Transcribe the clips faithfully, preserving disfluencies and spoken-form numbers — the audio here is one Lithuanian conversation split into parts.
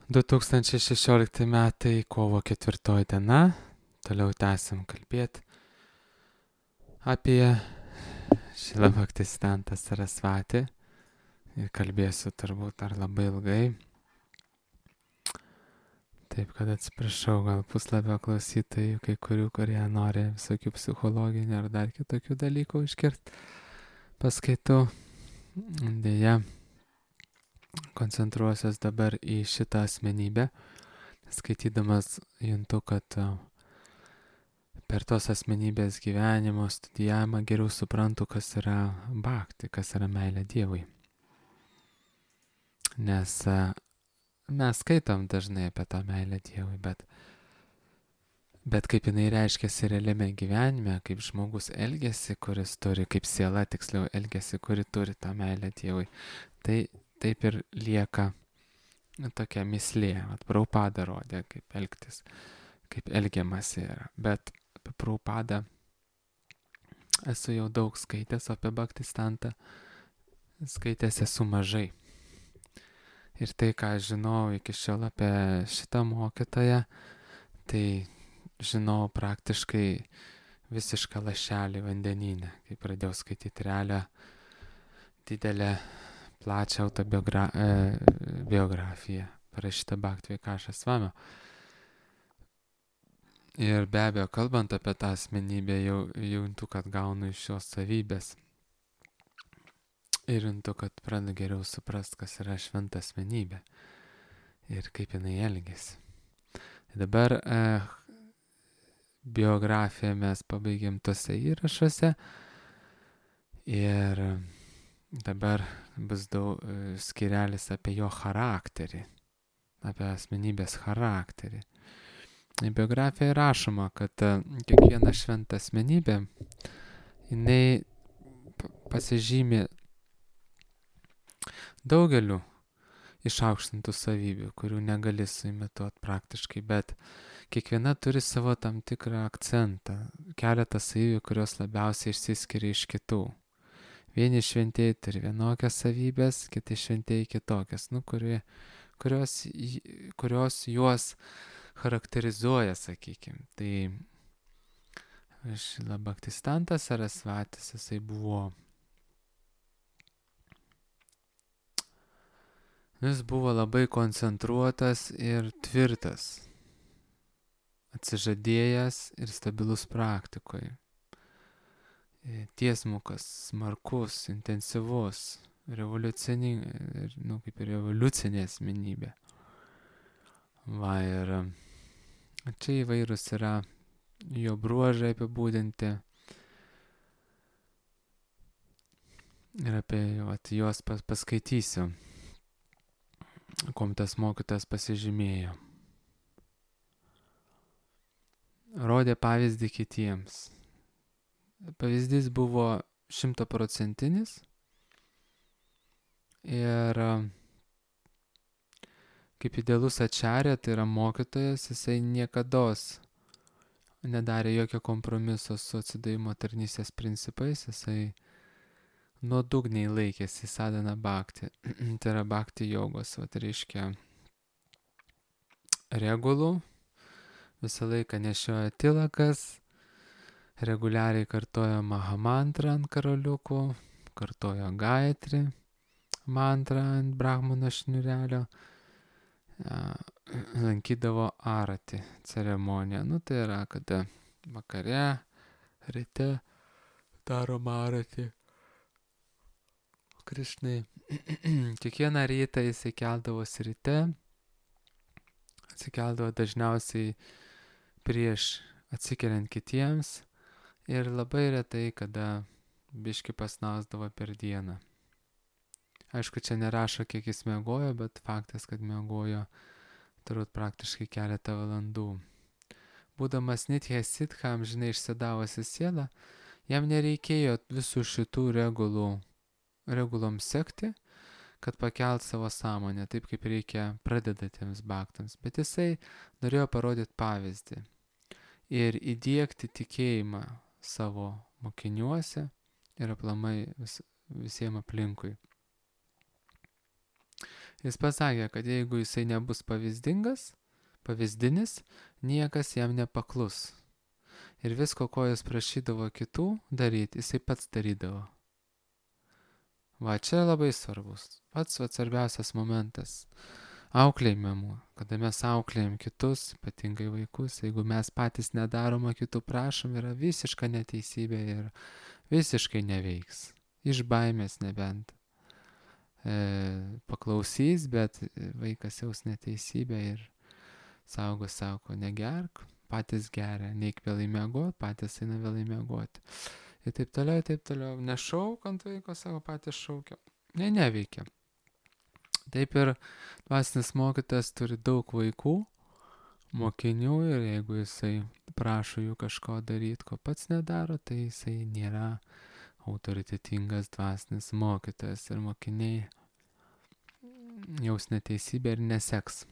du tūkstančiai šešiolikti metai, kovo ketvirtoji diena. Toliau tęsim kalbėti apie Šrila Bhaktisiddhanta Sarasvatį. Ir kalbėsiu turbūt dar labai ilgai. Taip kad atsiprašau, gal puslapio klausytojų, kai kurių, kurie nori visokių psichologinių ar dar kitokių dalykų iškirti paskaitų. Deja, koncentruosiuos dabar į šitą asmenybę. Skaitydamas juntu, kad per tos asmenybės gyvenimo studijavimą geriau suprantu, kas yra bhakti, kas yra meilė Dievui. Nes mes skaitom dažnai apie tą meilę Dievui, bet, bet kaip jinai reiškiasi realiame gyvenime, kaip žmogus elgiasi, kuris turi, kaip siela tiksliau elgiasi, kuri turi tą meilę Dievui, tai taip ir lieka tokia mislė. Prabhupada rodė, kaip elgtis, kaip elgiamasi yra. Bet apie Prabhupadą esu jau daug skaitęs, apie Bhaktisiddhantą skaitęs esu mažai. Ir tai, ką žinau iki šiol apie šitą mokytoją, tai žinau praktiškai visišką lašelį vandenyne, kai pradėjau skaityti realią, didelę, plačią autobiografiją, parašytą Bhakti Vikaša Svamio. Ir be abejo, kalbant apie tą asmenybę, jau juntu, kad gaunu iš šios savybės. Ir juntu, kad pradedu geriau suprast, kas yra šventa asmenybė ir kaip jinai elgėsi. Dabar eh, biografiją mes pabaigėm tose įrašuose ir dabar bus daug skirelis apie jo charakterį, apie asmenybės charakterį. Biografijoje rašoma, kad kiekviena šventa asmenybė, jinai pasižymi daugeliu išaukštintų savybių, kurių negali suimituoti praktiškai, bet kiekviena turi savo tam tikrą akcentą, keletą savybių, kurios labiausiai išsiskiria iš kitų. Vieni šventieji turi vienokias savybės, kiti šventieji kitokias, nu, kurie, kurios, kurios juos charakterizuoja, sakykime. Tai Šrila Bhaktisiddhantas Sarasvatis, jisai buvo, jis buvo labai koncentruotas ir tvirtas, atsižadėjęs ir stabilus praktikoje. Tiesmukas, smarkus, intensyvus, revoliucinė, nu, kaip ir revoliucinė asmenybė. Va, ir čia įvairūs yra jo bruožai apibūdinti ir apie vat, juos pas, paskaitysiu, kuom tas mokytas pasižymėjo. Rodė pavyzdį kitiems. Pavyzdys buvo šimtaprocentinis ir kaip idealus ačarė, tai yra mokytojas, jisai niekados nedarė jokio kompromiso su atsidavimo tarnystės principais, jisai nuodugniai laikėsi sadhana bhakti, tai yra bhakti jogos, va, tai reiškia regulų, visą laiką nešioja tilakas, reguliariai kartojo mahamantrą ant karoliukų, kartojo gaitri mantrą ant brahmano šniurelio, lankydavo arati ceremoniją. Nu, tai yra, kada vakare, ryte daroma arati Krišnai. Kiekvieną rytą jisai keldavosi ryte, atsikeldavo dažniausiai prieš atsikeliant kitiems ir labai retai, kada biški pasnausdavo per dieną. Aišku, čia nerašo, kiek jis miegojo, bet faktas, kad miegojo turbūt praktiškai keletą valandų. Būdamas Nitya Siddha, amžinai išsidavusi siela, jam nereikėjo visų šitų regulų, regulom sekti, kad pakelt savo sąmonę, taip kaip reikia pradedatiems bhaktams. Bet jisai norėjo parodyti pavyzdį ir įdiegti tikėjimą savo mokiniuose ir aplamai vis, visiems aplinkui. Jis pasakė, kad jeigu jisai nebus pavyzdingas, pavyzdinis, niekas jam nepaklus. Ir visko, ko jis prašydavo kitų daryti, jisai pats darydavo. Va, čia labai svarbus. Pats va, svarbiausias momentas. Auklėjimėmu, kada mes auklėjam kitus, ypatingai vaikus, jeigu mes patys nedarom, o kitų prašom, yra visiška neteisybė ir visiškai neveiks. Iš baimės nebent. E, paklausys, bet vaikas jaus neteisybę ir saugo, sako, negerk, patys geria, neik vėlai miegot, patys eina vėlai miegoti. Ir taip toliau, taip toliau, nešauk ant vaiko, sako, patys šaukia. Ne, neveikia. Taip ir dvasinis mokytojas turi daug vaikų, mokinių ir jeigu jisai prašo jų kažko daryti, ko pats nedaro, tai jisai nėra autoritetingas dvasinis mokytojas ir mokiniai jaus neteisybę ir neseks.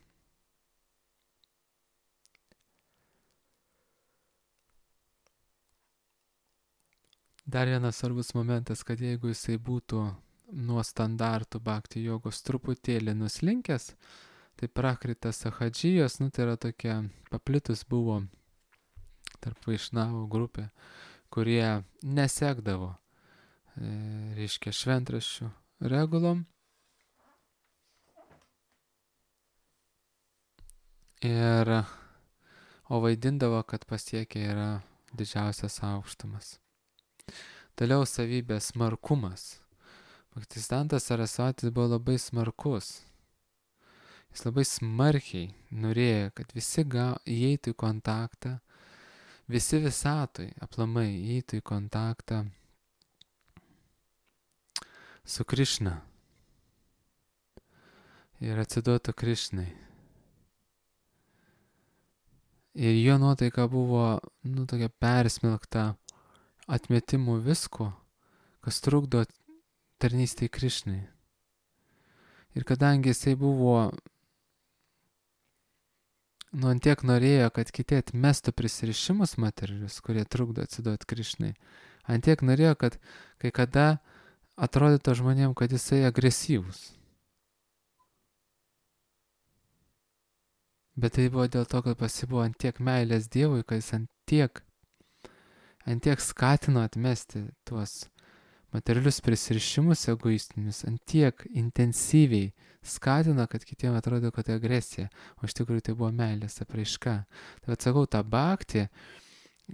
Dar vienas svarbus momentas, kad jeigu jisai būtų nuo standartų bhakti jogos truputėlį nuslinkęs, tai prakrita sahadžijos, nu tai yra tokia paplitus buvo tarp vaišnavų grupė, kurie nesekdavo, e, reiškia, šventraščių regulom. Ir, o vaidindavo, kad pasiekia yra didžiausias aukštumas. Toliau savybės smarkumas. Bhaktisiddhantas Sarasvatis buvo labai smarkus. Jis labai smarkiai norėjo, kad visi ga, įeitų į kontaktą, visi visatoj aplamai įeitų į kontaktą su Krišna ir atsiduotų Krišnai. Ir jo nuotaika buvo, nu, tokia persmelkta atmetimų visko, kas trukdo tarnystei Krišnai. Ir kadangi jisai buvo, nu, antiek norėjo, kad kiti atmestų prisirišimus materialius, kurie trukdo atsiduoti Krišnai, antiek norėjo, kad kai kada atrodytų žmonėm, kad jisai agresyvus. Bet tai buvo dėl to, kad pasibuvo antiek meilės Dievui, kad jis antiek, antiek skatino atmesti tuos materialius prisirišimus egoistinius, antiek intensyviai skatina, kad kitiems atrodo, kad tai agresija, o iš tikrųjų tai buvo meilės apraiška. Tai atsakau, tą bhaktį,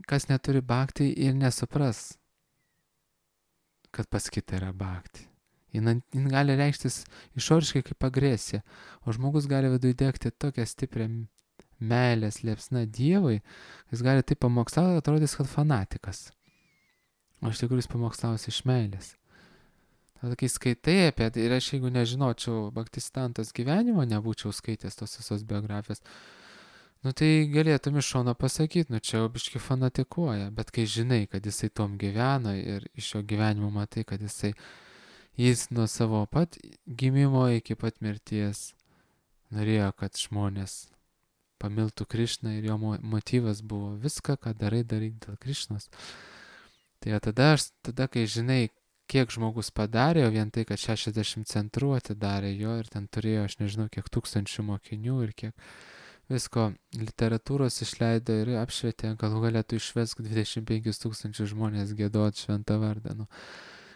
kas neturi bhaktį ir nesupras, kad pas kitą yra bhaktį. Jis, jis gali reikštis išoriškai kaip agresija, o žmogus gali viduje degti tokią stiprią meilės liepsną Dievui, jis gali taip pamokslauti, atrodys, kad fanatikas. O iš tikrųjų jis pamokslaus iš meilės. Tada kai skaitai apie tai, ir aš jeigu nežinočiau Bhaktisiddhantos gyvenimo, nebūčiau skaitęs tos visos biografijos, nu tai galėtum iš šono pasakyti, nu čia jau biški fanatikuoja, bet kai žinai, kad jisai tom gyveno ir iš jo gyvenimo matai, kad jisai, jis nuo savo pat gimimo iki pat mirties norėjo, kad žmonės pamiltų Krišną ir jo motyvas buvo viską, ką darai, daryti dėl Krišnos. Tai tada, aš, tada, kai žinai, kiek žmogus padarė, o vien tai, kad šešiasdešimt centrų atidarė jo ir ten turėjo, aš nežinau, kiek tūkstančių mokinių ir kiek visko literatūros išleido ir apšvietė, galų galėtų išvesk dvidešimt penkis tūkstančius žmonės giedot šventą vardą. Nu,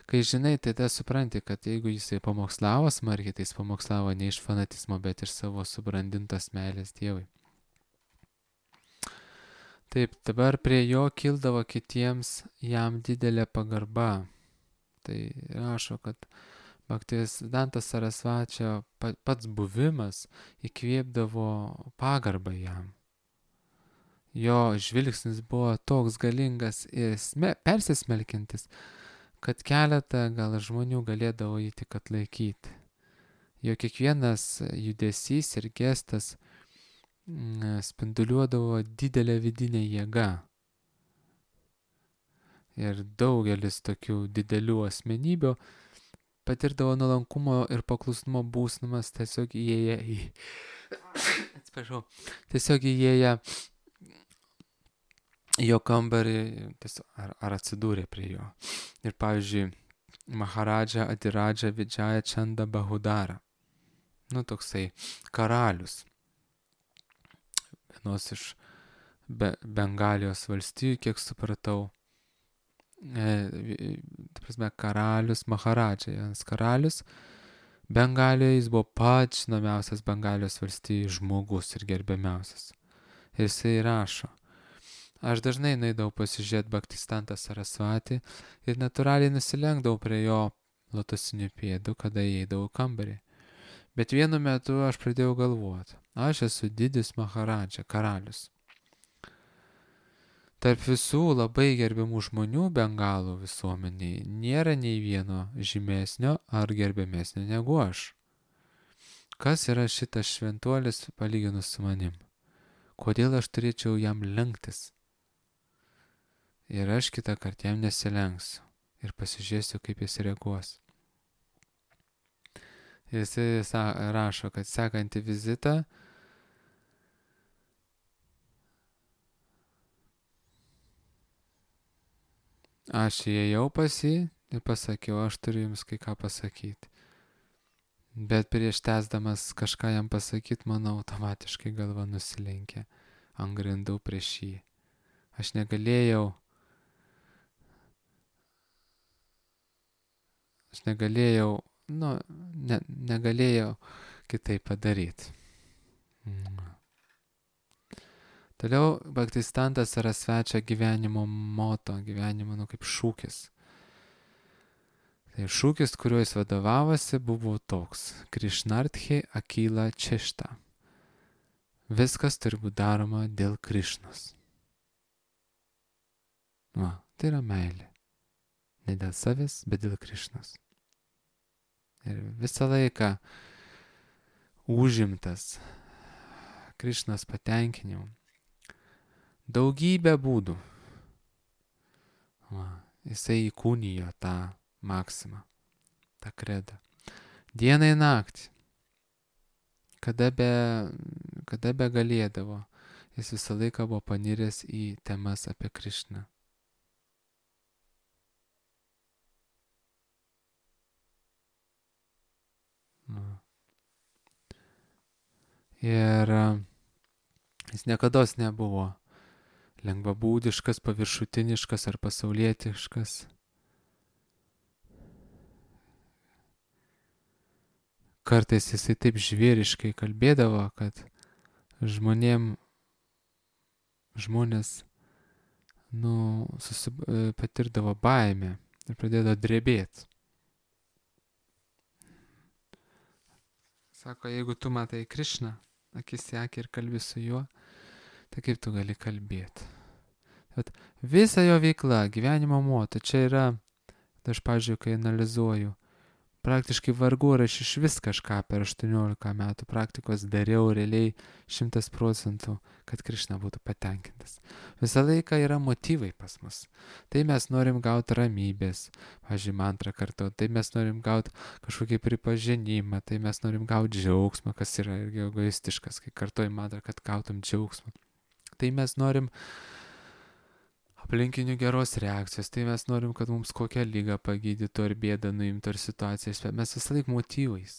kai žinai, tai tada supranti, kad jeigu jisai pamokslavo smarkiai, tai jis pamokslavo ne iš fanatizmo, bet iš savo subrandintos meilės Dievui. Taip, dabar prie jo kildavo kitiems jam didelė pagarba. Tai rašo, kad Bhaktisiddhantas Sarasvačio pats buvimas įkvėpdavo pagarbą jam. Jo žvilgsnis buvo toks galingas ir persismelkintis, kad keletą gal žmonių galėdavo jį tik atlaikyti. Jo kiekvienas judesys ir gestas spinduliuodavo didelę vidinę jėgą. Ir daugelis tokių didelių asmenybių patirdavo nuolankumo ir paklusnumo būsnumas tiesiog įėję į... Atsiprašau. Tiesiog įėję jo kambarį tiesiog, ar, ar atsidūrė prie jo. Ir pavyzdžiui, Maharadža Adiradža Vidžaja Čanda Bahudara. nu, toksai karalius. Vienos iš Be Bengalijos valstijų, kiek supratau. E, ta prasme, karalius Maharadžas, karalius Bengalijoje, jis buvo pats žinomiausias Bengalijos valstijų žmogus ir gerbiamiausias. Ir jisai rašo: aš dažnai nueidavau pasižiūrėti Bhaktisiddhantą Sarasvatį ir natūraliai nusilenkdavau prie jo lotosinių pėdų, kada įeidavau į kambarį. Bet vienu metu aš pradėjau galvoti: aš esu didis Maharadža, karalius. Tarp visų labai gerbiamų žmonių Bengalų visuomeniai nėra nei vieno žymesnio ar gerbiamesnio negu aš. Kas yra šitas šventuolis palyginus su manim? Kodėl aš turėčiau jam lenktis? Ir aš kitą kartą jam nesilenksiu ir pasižiūrėsiu, kaip jis reaguos. Ir jis rašo, kad sekantį vizitą aš įėjau pas jį ir pasakiau: aš turiu jums kai ką pasakyti. Bet prieš tęsdamas kažką jam pasakyti, mano automatiškai galva nusilenkė ant grindų prieš jį. Aš negalėjau, aš negalėjau, nu, ne, negalėjau kitaip padaryti. Mm. Toliau Bhaktisiddhantas yra svečia gyvenimo moto, gyvenimo, nu, kaip šūkis. Tai šūkis, kuriuo jis vadovavosi, buvo toks: Krishnarthe Akila Češta. Viskas turi būti daroma dėl Krišnos. Va, tai yra meilė. Ne dėl savęs, bet dėl Krišnos. Ir visą laiką užimtas Krišnos patenkinimu. Daugybė būdų. Va, jisai įkūnijo tą maksimą, tą kredą. Dieną į naktį. Kada be, kada be galėdavo, jis visą laiką buvo paniręs į temas apie Krišną. Va. Ir jis niekados nebuvo lengvabūdiškas, paviršutiniškas ar pasaulietiškas. Kartais jisai taip žvėriškai kalbėdavo, kad žmonėm, žmonės, nu, susib, patirdavo baimę ir pradėdavo drebėti. Sako, jeigu tu matai Krišną, akis į akį ir kalbi su juo, tai kaip tu gali kalbėti? Bet visa jo veikla, gyvenimo moto, čia yra, tai aš, pavyzdžiui, kai analizuoju, praktiškai vargu ar aš iš vis kažką per aštuoniolika metų praktikos dariau realiai šimtas procentų, kad Krišna būtų patenkintas. Visą laiką yra motyvai pas mus. Tai mes norim gauti ramybės, pavyzdžiui, mantrą kartu, tai mes norim gauti kažkokį pripažinimą, tai mes norim gauti džiaugsmą, kas yra irgi egoistiškas, kai kartuoji mantrą, kad gautum džiaugsmą. Tai mes norim aplinkinių geros reakcijos, tai mes norim, kad mums kokią lygą pagydytų, ar bėdą nuimtų, ar situacijas, mes visą laiką motyvais.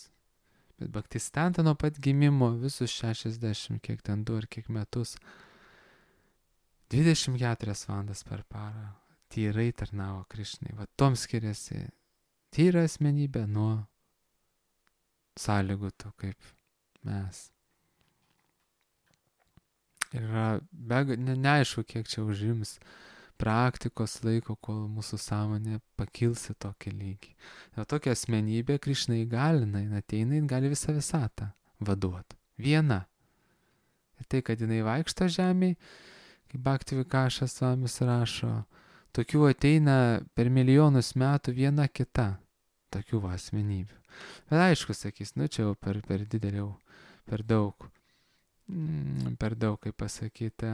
Bet Bhaktisiddhanta nuo pat gimimo visus šešiasdešimt, kiek ten du ar kiek metus, dvidešimt keturias valandas per parą tyrai tarnavo Krišnai. Va tom skiriasi tyra asmenybė nuo sąlygotų kaip mes. Ir yra be, ne, neaišku, kiek čia užims praktikos laiko, kol mūsų sąmonė pakils į tokį lygį. Ir tokia asmenybė Krišna įgalina, jin ateina, jin gali visą visatą vaduoti. Viena. Ir tai, kad jinai vaikšto žemėje, kaip Bhakti Vikašas Svamis rašo, tokių ateina per milijonus metų viena kita. Tokių va asmenybių. Bet aišku, sakys, nu čia jau per, per didelį, per daug. per daug, kaip pasakyti,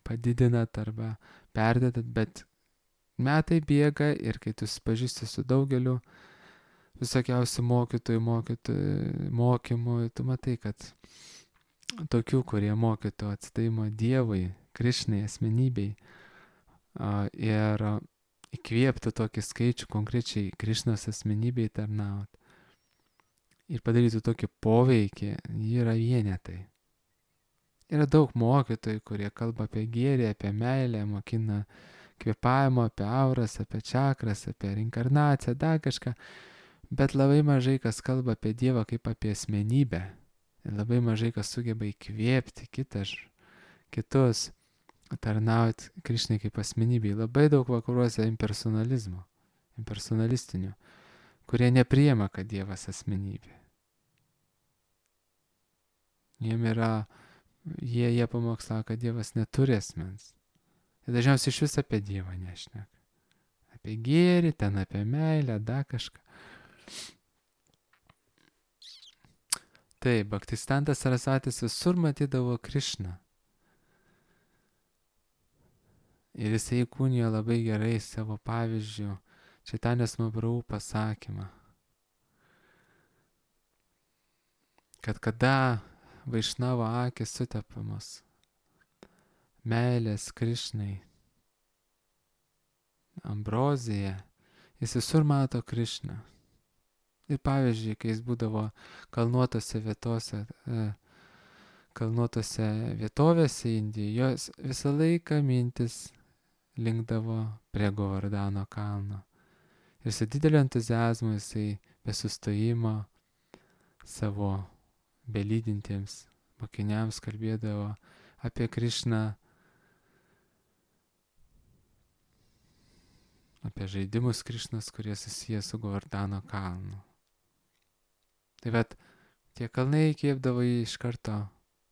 padidinat arba perdedat, bet metai bėga ir kai tu susipažįsti su daugeliu visokiausių mokytojų, mokytojų, mokymų, tu matai, kad tokių, kurie mokytų atsidavimo Dievui, Krišnai, asmenybei ir įkvėptų tokį skaičių konkrečiai Krišnos asmenybei tarnauti, ir padarytų tokį poveikį, jie yra vienetai. Yra daug mokytojų, kurie kalba apie gėrį, apie meilę, mokina kvėpavimo, apie auras, apie čakras, apie reinkarnaciją, dar kažką, bet labai mažai kas kalba apie Dievą kaip apie asmenybę. Ir labai mažai kas sugeba įkvėpti kitas, kitus, tarnauti Krišnai kaip asmenybei. Labai daug vakaruose impersonalizmo, impersonalistinių, kurie nepriema, kad Dievas asmenybė. Jiem yra, jie, jie pamokslavo, kad Dievas neturi asmens. Ir dažniausiai iš vis apie Dievą nešneka. Apie gėrį, ten apie meilę, dar kažką. Taip, Bhaktistantas Sarasvatis visur matydavo Krišną. Ir jisai įkūnijo labai gerai savo pavyzdžių Čaitanės Mahaprabhu pasakymą, kad kada Vaišnavo akis sutepamos meilės Krišnai, ambrozija, jis visur mato Krišną. Ir pavyzdžiui, kai jis būdavo kalnuotose vietose, kalnuotose vietovėse Indijoje, jos visą laiką mintis linkdavo prie Govardhano kalno. Ir su dideliu entuziazmu jisai be sustojimo savo belydintiems mokiniams kalbėdavo apie Krišną, apie žaidimus Krišnos, kurie susiję su Govardhano kalnu. Tai vat, tie kalnai įkvėpdavo jį iš karto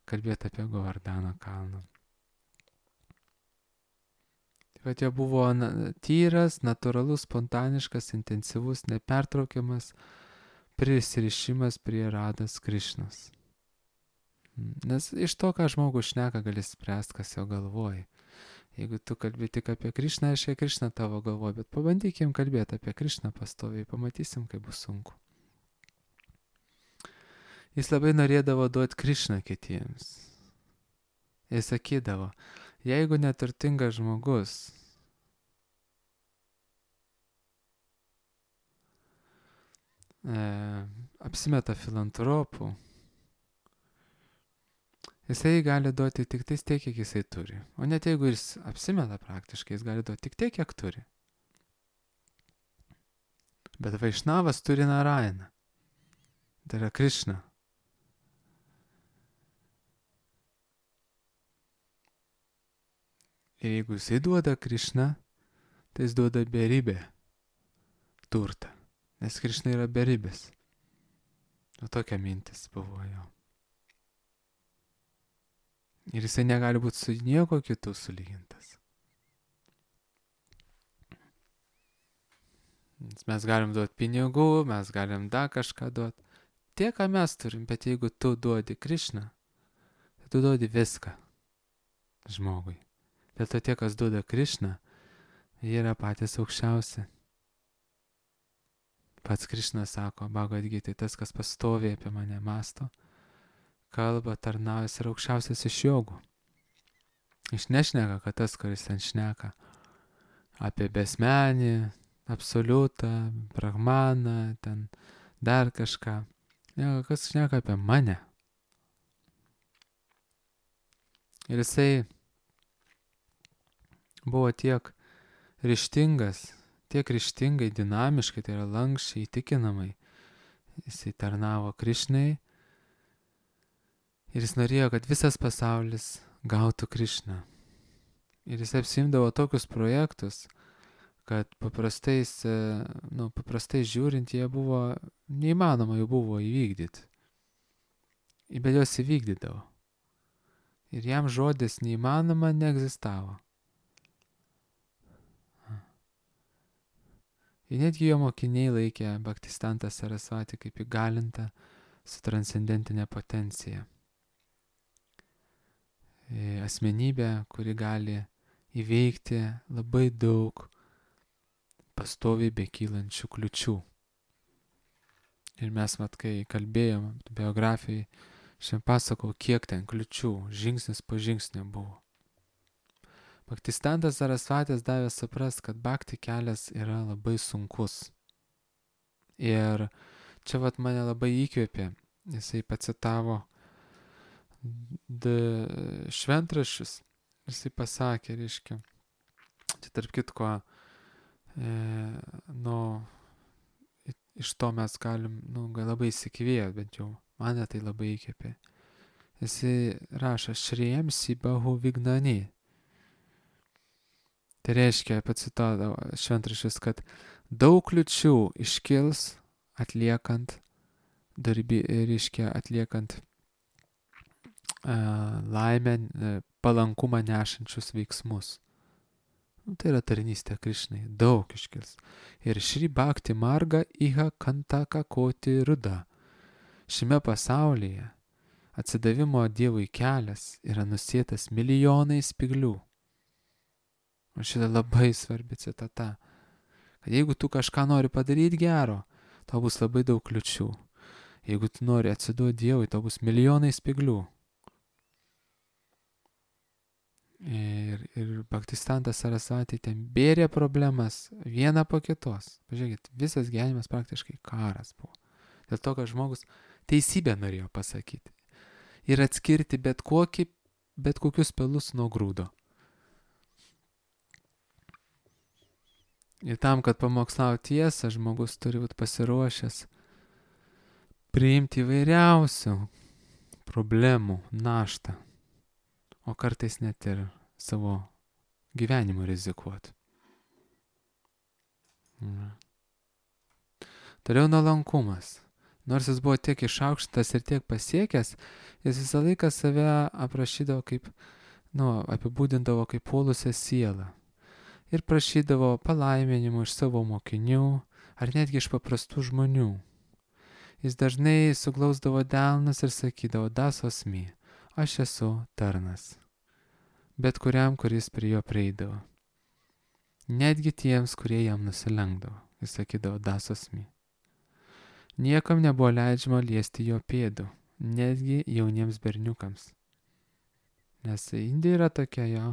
kalbėti apie Govardhano kalną. Tai vat, jo buvo tyras, natūralus, spontaniškas, intensyvus, nepertraukiamas prisirišimas prie Rados Krišnos. Nes iš to, ką žmogus šneka, gali spręsti, kas jo galvoja. Jeigu tu kalbi tik apie Krišną, aiškiai Krišna tavo galvoja, bet pabandykim kalbėti apie Krišną pastoviai, pamatysim, kaip bus sunku. Jis labai norėdavo duoti Krišną kitiems. Jis sakydavo, jeigu neturtingas žmogus e, apsimeta filantropų, jisai gali duoti tik tais tiek, kiek jisai turi. O net jeigu jis apsimeta praktiškai, jis gali duoti tik tiek, kiek turi. Bet Vaišnavas turi Narainą. Tai yra Krišna. Ir jeigu jisai duoda Krišną, tai jis duoda beribę turtą. Nes Krišna yra beribės. O tokia mintis buvo jo. Ir jisai negali būti su nieko kitu sulygintas. Mes galim duoti pinigų, mes galim dar kažką duoti. Tie, ką mes turim, bet jeigu tu duodi Krišną, tai tu duodi viską žmogui. Dėl to tie, kas duoda Krišną, jie yra patys aukščiausi. Pats Krišna sako, Bhagavad Gita, tas, kas pastoviai apie mane mąsto, kalba, tarnaujas ir aukščiausias iš jogų. Iš nešneka, kad tas, kuris ten šneka apie besmenį, absoliutą, brahmaną, ten dar kažką. Ne, kas šneka apie mane. Ir jisai buvo tiek ryžtingas, tiek ryžtingai, dinamiškai, tai yra lankščiai, įtikinamai. Jisai tarnavo Krišnai ir jis norėjo, kad visas pasaulis gautų Krišną. Ir jis apsimdavo tokius projektus, kad paprastais, nu, paprastai žiūrint, jie buvo, neįmanoma jų buvo įvykdyti. Bet jos įvykdydavo. Ir jam žodis neįmanoma neegzistavo. Ir netgi jo mokiniai laikė Bhaktistantą Sarasvatį kaip įgalintą su transcendentinė potencija. Asmenybė, kuri gali įveikti labai daug pastoviai bekylančių kliučių. Ir mes, mat, kai kalbėjom biografijai, šiandien pasakau, kiek ten kliučių, žingsnis po žingsnio buvo. Bhaktistantas Sarasvatis davė suprast, kad bhakti kelias yra labai sunkus. Ir čia vat mane labai įkvėpė. Jisai pacitavo d- šventraščius. Jisai pasakė, reiškia, čia tarp kitko, e, nu, iš to mes galim, nu, gal labai įsikvėpti, bent jau mane tai labai įkvėpė. Jisai rašo, šriem si bahu vignani. Tai reiškia, pacitavo šventraščius, kad daug kliučių iškils atliekant darbį, reiškia, atliekant uh, laimę, uh, palankumą nešančius veiksmus. Nu, tai yra tarnystė Krišnai, daug iškils. Ir šri bhakti marga iha kantaka koti ruda. Šiame pasaulyje atsidavimo Dievui kelias yra nusėtas milijonai spyglių. O šitą labai svarbi citata. Kad jeigu tu kažką nori padaryti gero, tau bus labai daug kliučių. Jeigu tu nori atsiduoti Dievui, tau bus milijonai spyglių. Ir, ir Bhaktistantas Sarasvati ten bėrė problemas vieną po kitos. Pažiūrėkit, visas gyvenimas praktiškai karas buvo. Dėl to, kad žmogus teisybę norėjo pasakyti. Ir atskirti bet, kokį, bet kokius pelus nuo grūdo. Ir tam, kad pamokslauti tiesą, žmogus turi būti pasiruošęs priimti įvairiausių problemų naštą, o kartais net ir savo gyvenimu rizikuoti. Toliau nuolankumas. Nors jis buvo tiek išaukštas ir tiek pasiekęs, jis visą laiką save aprašydavo kaip, nu, apibūdindavo kaip puolusią sielą. Ir prašydavo palaiminimų iš savo mokinių, ar netgi iš paprastų žmonių. Jis dažnai suglausdavo delnus ir sakydavo, das osmi, aš esu tarnas. Bet kuriam, kuris prie jo prieidavo. Netgi tiems, kurie jam nusilenkdavo, jis sakydavo, das osmi. Niekam nebuvo leidžiama liesti jo pėdų, netgi jauniems berniukams. Nes Indija yra tokia jo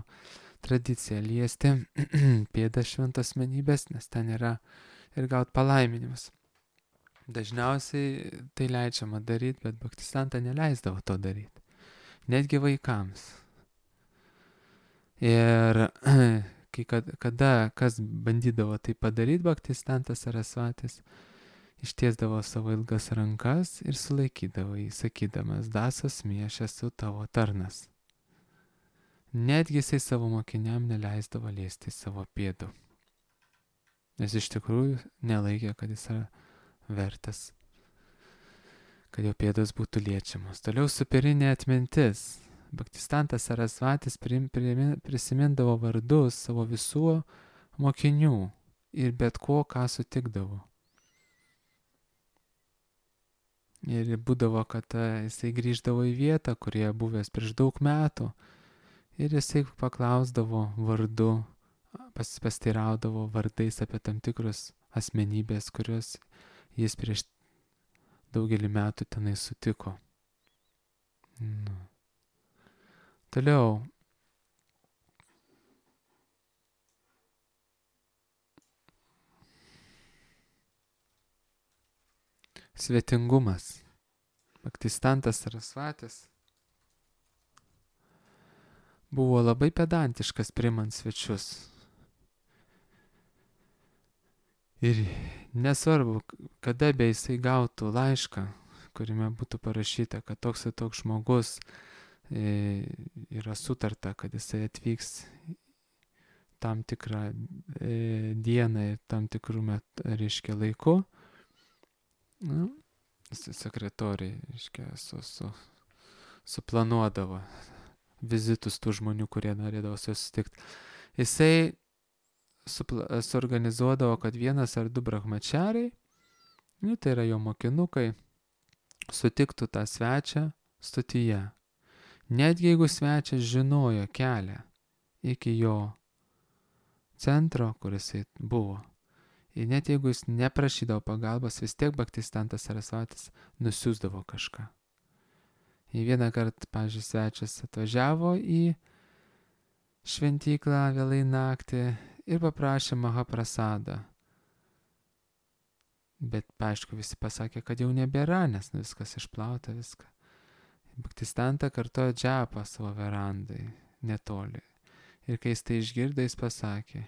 tradicija liesti pėdą šventos asmenybės, nes ten yra ir gauti palaiminimus. Dažniausiai tai leidžiama daryti, bet Bhaktisiddhanta neleisdavo to daryti. Netgi vaikams. Ir kai kada, kada kas bandydavo tai padaryti, Bhaktisiddhantas Sarasvatis ištiesdavo savo ilgas rankas ir sulaikydavo jį, sakydamas, das osmi, aš esu tavo tarnas. Netgi jisai savo mokiniam neleisdavo liesti savo pėdų. Nes iš tikrųjų nelaikė, kad jis yra vertas, kad jo pėdos būtų liečiamos. Toliau superinė atmintis. Bhaktisiddhantas Sarasvatis prisimindavo vardus savo visų mokinių ir bet ko, ką sutikdavo. Ir būdavo, kad jisai grįždavo į vietą, kurie buvęs prieš daug metų. Ir jisai paklausdavo vardu, pas, pasteiraudavo vardais apie tam tikrus asmenybės, kurios jis prieš daugelį metų tenai sutiko. Nu. Toliau. Svetingumas. Bhaktisiddhantas Sarasvatis buvo labai pedantiškas priimant svečius. Ir nesvarbu, kada be jisai gautų laišką, kuriame būtų parašyta, kad toks ir toks žmogus e, yra sutarta, kad jisai atvyks tam tikrą e, dieną ir tam tikrų metų, reiškia, laiku. Nu, sekretoriai, reiškia, su, su, suplanuodavo vizitus tų žmonių, kurie norėdavo susitikti. Jisai supla, suorganizuodavo, kad vienas ar du brahmačiariai, nu, tai yra jo mokinukai, sutiktų tą svečią stotyje. Netgi jeigu svečias žinojo kelią iki jo centro, kur jisai buvo, ir net jeigu jis neprašydavo pagalbos, vis tiek Bhaktisiddhantas Sarasvatis nusiųsdavo kažką. Į vieną kartą, pavyzdžiui, svečias atvažiavo į šventyklą vėlai naktį ir paprašė Mahaprasadą. Bet, aišku, visi pasakė, kad jau nebėra, nes nu, viskas išplauta, viską. Baktistanta kartojo džapą savo verandai, netoli. Ir kai jis tai išgirdo, jis pasakė,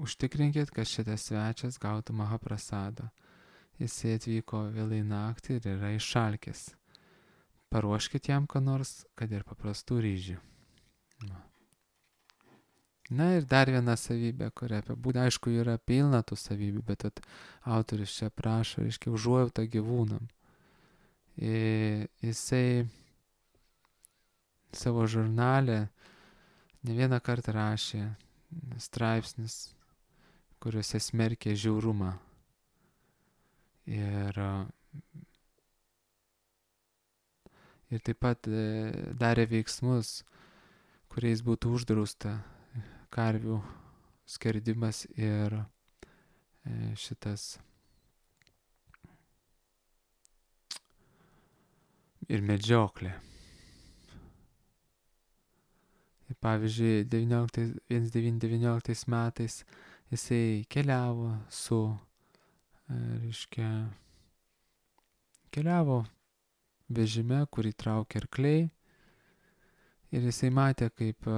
užtikrinkit, kad šitas svečias gautų Mahaprasado. Jisai atvyko vėlai naktį ir yra išalkęs. Paruoškit jam ką nors, kad ir paprastų ryžių. Na. Na ir dar viena savybė, kurią apibūdina, aišku, yra pilna tų savybių, bet at, autorius čia prašo, reiškia, užuojautą gyvūnam. Ir jisai savo žurnale ne vieną kartą rašė straipsnis, kuriuose smerkė žiaurumą. Ir, ir taip pat darė veiksmus, kuriais būtų uždrausta karvių skerdimas ir šitas ir medžioklė. Ir pavyzdžiui, devyniolika devynioliktais metais jisai keliavo su, reiškia, keliavo vežime, kurį traukė arkliai, ir jisai matė, kaip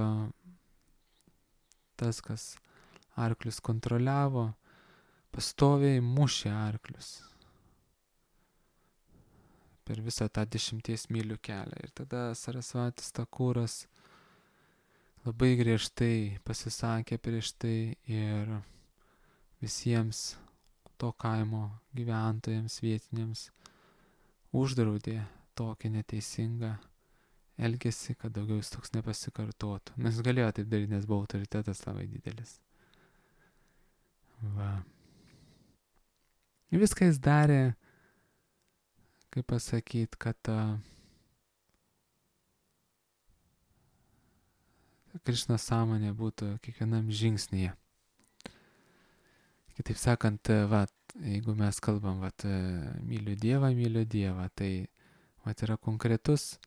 tas, kas arklius kontroliavo, pastoviai mušė arklius per visą tą dešimties mylių kelią. Ir tada Sarasvatis Takuras labai griežtai pasisakė prieš tai ir visiems to kaimo gyventojams vietiniams uždraudė tokį neteisingą elgesi, kad daugiau jis toks nepasikartotų. Nes galėjo taip daryti, nes buvo autoritetas labai didelis. Va. Ir viską jis darė, kaip pasakyti, kad uh, Krišnos sąmonė būtų kiekvienam žingsnyje. Kitaip sakant, va, jeigu mes kalbam, va, myliu Dievą, myliu Dievą, tai va, yra konkretus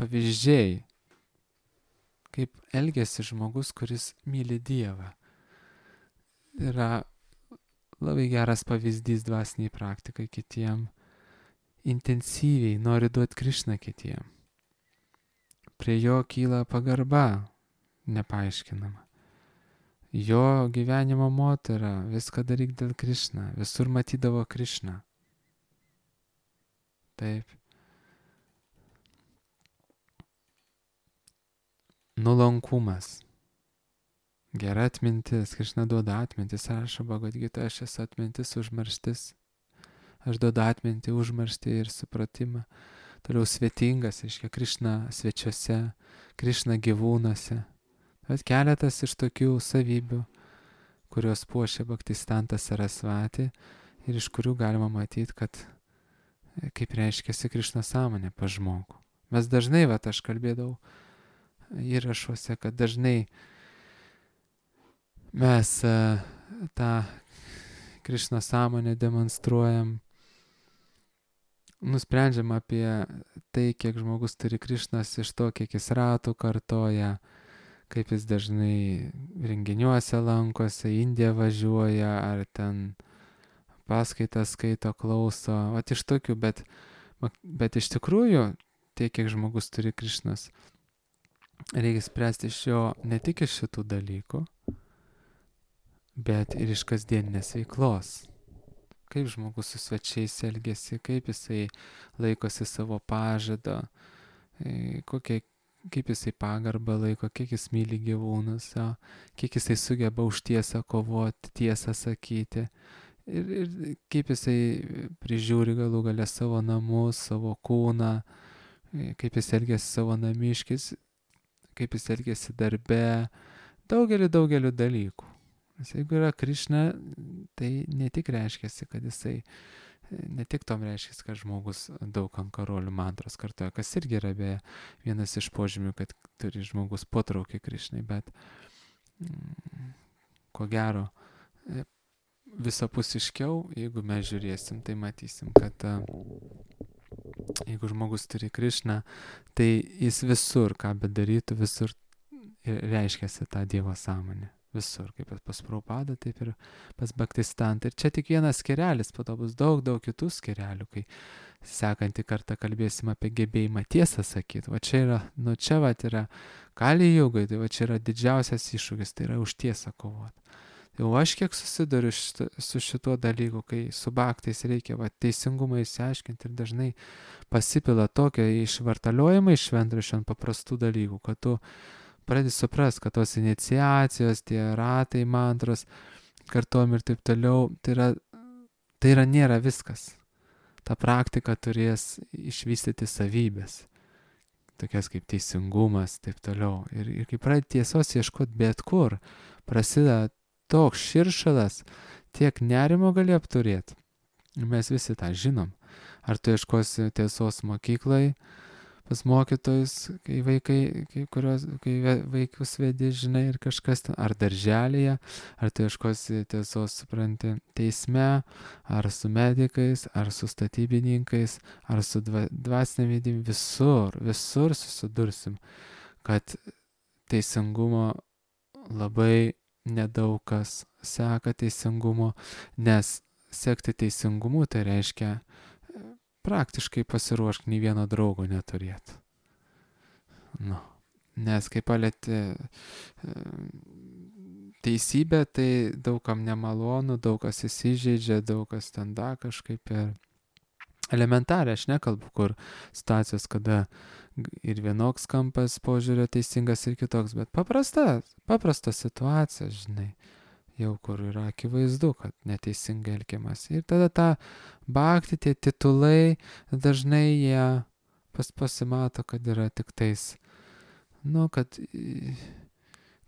pavyzdžiai, kaip elgiasi žmogus, kuris myli Dievą. Yra labai geras pavyzdys dvasiniai praktikai kitiem, intensyviai nori duoti Krišną kitiem. Prie jo kyla pagarba nepaaiškinama. Jo gyvenimo moto yra viską daryk dėl Krišną, visur matydavo Krišną. Taip. Nuolankumas. Gera atmintis. Krišna duoda atmintis. Rašo Bhagavad Gita, aš esu atmintis, užmarštis. Aš duodu atmintį, užmarštį ir supratimą. Toliau svetingas, reiškia Krišna svečiuose, Krišna gyvūnuose. Bet keletas iš tokių savybių, kurios puošia Bhaktistantas Sarasvati ir iš kurių galima matyti, kad kaip reiškiasi Krišna sąmonė pa žmogų. Mes dažnai, va, aš kalbėdavau įrašuose, kad dažnai mes uh, tą Krišna sąmonę demonstruojam, nusprendžiam apie tai, kiek žmogus turi Krišnos iš to, kiek jis ratų kartoja, kaip jis dažnai renginiuose lankosi, Indiją važiuoja, ar ten paskaitas skaito, klauso, vat iš tokių, bet, bet iš tikrųjų, tiek, kiek žmogus turi Krišnos, reikia spręsti iš jo ne tik iš šitų dalykų, bet ir iš kasdieninės veiklos. Kaip žmogus su svečiais elgesi, kaip jisai laikosi savo pažado, kokie, kaip jisai pagarbą laiko, kiek jis myli gyvūnus, kiek jisai sugeba už tiesą kovoti, tiesą sakyti. Ir, ir kaip jisai prižiūri galų galę savo namus, savo kūną, kaip jis elgesi savo namiškis, kaip jis elgesi darbe, daugelį, daugelį dalykų. Nes jeigu yra Krišna, tai ne tik reiškiasi, kad jisai, ne tik tom reiškiasi, kad žmogus daug ant karolių mantros kartoja, kas irgi yra be vienas iš požymių, kad turi žmogus potraukį Krišnai, bet mm, ko gero visapusiškiau, jeigu mes žiūrėsim, tai matysim, kad jeigu žmogus turi Krišną, tai jis visur, ką bedarytų, visur reiškiasi tą Dievo sąmonę. Visur, kaip pas Prabhupadą, taip ir pas Bhaktistantą. Ir čia tik vienas skyrelis, po to bus daug, daug kitų skyrelių, kai sekantį kartą kalbėsim apie gebėjimą tiesą sakyti. Va čia yra, nu čia va yra Kali Jugai, tai va čia yra didžiausias iššūkis, tai yra už tiesą kovoti. Jau aš kiek susiduriu šito, su šituo dalyku, kai su bhaktais reikia va, teisingumą įsiaiškinti ir dažnai pasipila tokia išvartaliojimai iš šventraščių ant paprastų dalykų, kad tu pradedi suprast, kad tos iniciacijos, tie ratai, mantros, kartuojami ir taip toliau, tai yra, tai yra nėra viskas. Ta praktika turės išvystyti savybės, tokias kaip teisingumas, taip toliau. Ir, ir kai pradedi tiesos ieškoti bet kur, prasideda toks širšalas, tiek nerimo gali apturėti. Mes visi tą žinom. Ar tu ieškosi tiesos mokyklai, pas mokytojus, kai vaikai, kai, kurios, kai vaikus vedi, žinai, ir kažkas ten, ar darželėje, ar tu ieškosi tiesos, supranti, teisme, ar su medikais, ar su statybininkais, ar su dva, dvasinėm vidim, visur, visur susidursim, kad teisingumo labai nedaug kas seka teisingumo, nes sekti teisingumu tai reiškia praktiškai pasiruošk nei vieno draugo neturėti. Nu, nes kai palėti teisybę, tai daugam nemalonu, daug kas įsižeidžia, daug kas ten da kažkaip ir elementariai, aš nekalbu, kur situacijos, kada ir vienoks kampas požiūrio teisingas ir kitoks, bet paprasta, paprasta situacija, žinai, jau kur yra akivaizdu, kad neteisingai elgiamas. Ir tada tą bhakti, tie titulai, dažnai jie pas pasimato, kad yra tik tais, nu, kad,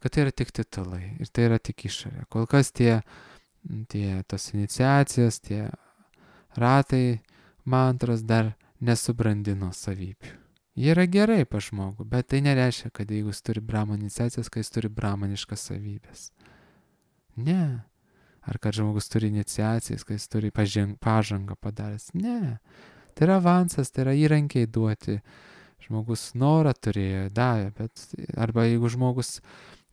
kad tai yra tik titulai ir tai yra tik išorė. Kol kas tie, tie tos iniciacijos, tie ratai, mantros dar nesubrandino savybių. Jie yra gerai pa žmogų, bet tai nereiškia, kad jeigu jis turi brahmano iniciacijas, kad jis turi brahmaniškas savybės. Ne. Ar kad žmogus turi iniciacijas, kad jis turi pažang, pažangą padaręs. Ne. Tai yra avansas, tai yra įrankiai duoti. Žmogus norą turėjo, davė, bet arba jeigu žmogus,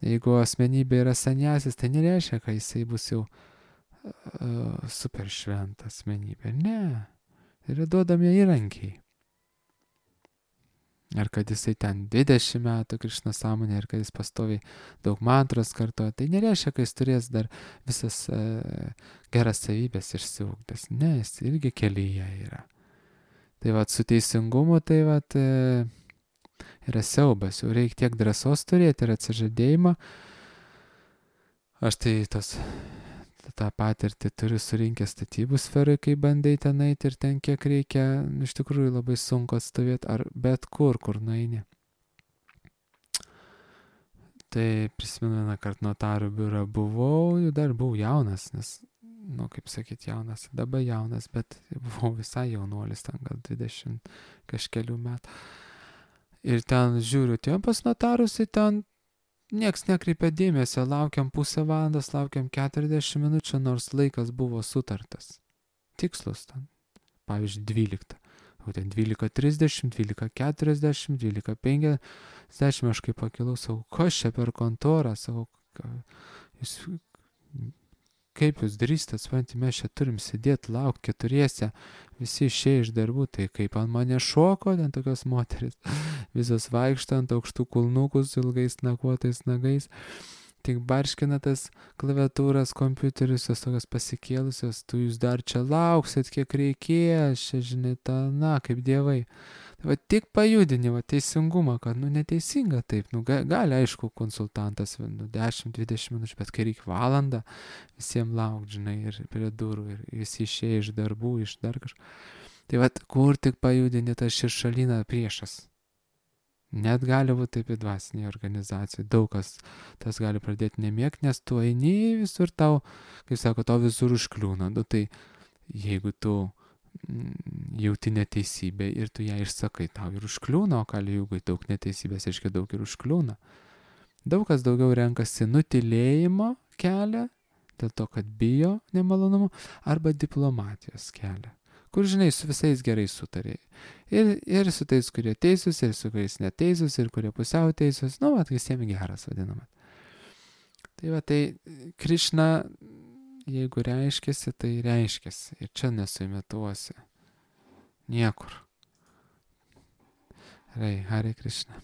jeigu asmenybė yra sanjasis, tai nereiškia, kad jisai bus jau uh, super šventa asmenybė. Ne. Tai yra duodami įrankiai. Ar kad jisai ten dvidešimt metų Krišna sąmonė, ar kad jis pastoviai daug mantros kartoja, tai nereiškia, kad jis turės dar visas e, geras savybės išsiugdęs. Ne, jis irgi kelyje yra. Tai vat su teisingumu, tai vat e, yra siaubas, jau reikia tiek drąsos turėti ir atsižadėjimą. Aš tai tos, tą patirtį turiu surinkę statybų sferai, kai bandai ten eiti ir ten kiek reikia, iš tikrųjų labai sunku atstovėti, ar bet kur, kur nueini. Tai prisimenu vieną kartą notarų biurą buvau, dar buvau jaunas, nes, nu kaip sakyt, jaunas, dabar jaunas, bet buvau visai jaunuolis, ten gal dvidešimt kažkelių metų. Ir ten žiūriu, tiem pas notarus, tai ten nieks nekreipia dėmesio, laukiam pusę valandos, laukiam keturiasdešimt minučių, nors laikas buvo sutartas. Tikslus ten. Pavyzdžiui, dvyliktą. O ten dvylika trisdešimt, dvylika keturiasdešimt, dvylika penkiasdešimt, aš kaip pakilau, sakau, kas čia per kontorą, sakau, jūs, kaip jūs drįstat, supranti, mes čia turim sėdėti, laukti keturiese, visi išėję iš darbų, tai kaip ant mane šoko, ten tokios moteris, visos vaikšto ant aukštų kulnukų su ilgais nakuotais nagais, tik barškina tas klaviatūras, kompiuterius, jos tokios pasikėlusios, tu jūs dar čia lauksit, kiek reikės, čia žinai, ta, na, kaip dievai. Va tik pajudini, va teisingumą, kad, nu, neteisinga taip, nu, gali, aišku, konsultantas, nu, dešimt dvidešimt minučių, bet kai reikia valandą, visiems laukti, žinai, ir prie durų, ir visi išėję iš darbų, iš dar kažko. Tai va, kur tik pajudini tą širšalyną priešas. Net gali būti taip į dvasinėje organizacijoje, daug kas tas gali pradėti nemėgti, nes tu eini visur tau, kaip sako, tau visur užkliūna, nu, tai jeigu tu jauti neteisybę ir tu ją išsakai, tau ir užkliūna, o Kali Jugai daug neteisybės, aiškiai daug ir užkliūna. Daug kas daugiau renkasi nutilėjimo kelią, dėl to, kad bijo nemalonumų, arba diplomatijos kelią, kur, žinai, su visais gerai sutarė. Ir, ir su tais, kurie teisūs, ir su kuriais neteisūs, ir kurie pusiau teisūs, nu, vat, visiems geras vadinamas. Tai va, tai Krišna, jeigu reiškiasi, tai reiškiasi. Ir čia nesuimituosi. Niekur. Gerai, Hare Krishna.